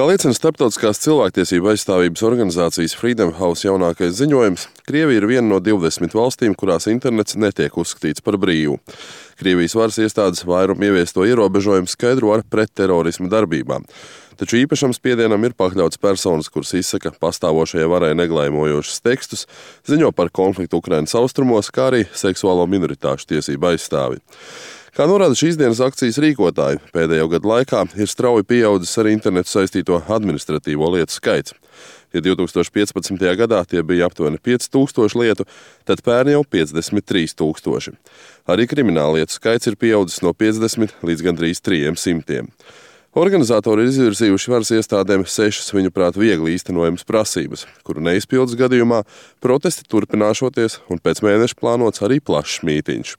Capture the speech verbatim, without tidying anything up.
Kā liecina starptautiskās cilvēktiesību aizstāvības organizācijas Freedom House jaunākais ziņojums, Krievija ir viena no divdesmit valstīm, kurās internets netiek uzskatīts par brīvu. Krievijas varas iestādes vairumu ieviesto ierobežojumu skaidro ar pretterorisma darbībām. Taču īpašam spiedienam ir pakļauts personas, kuras izsaka pastāvošajai varai neglaimojošus tekstus, ziņo par konfliktu Ukrainas austrumos, kā arī seksuālo minoritāšu tiesību aizstāvi. Kā norāda šīs dienas akcijas rīkotāji, pēdējo gadu laikā ir strauji pieaudzis ar internetu saistīto administratīvo lietu skaits. Ja divi tūkstoši piecpadsmitajā gadā tie bija aptuveni pieci tūkstoši lietu, tad pērn jau piecdesmit trīs tūkstoši. Arī krimināla lietu skaits ir pieaudzis no piecdesmit līdz gandrīz trījiem simtiem. Organizatori ir izvirzījuši varas iestādēm sešas viņuprāt viegli īstenojamas prasības, kuru neizpildes gadījumā protesti turpināšoties un pēc mēneša plānots arī plašs mītiņš.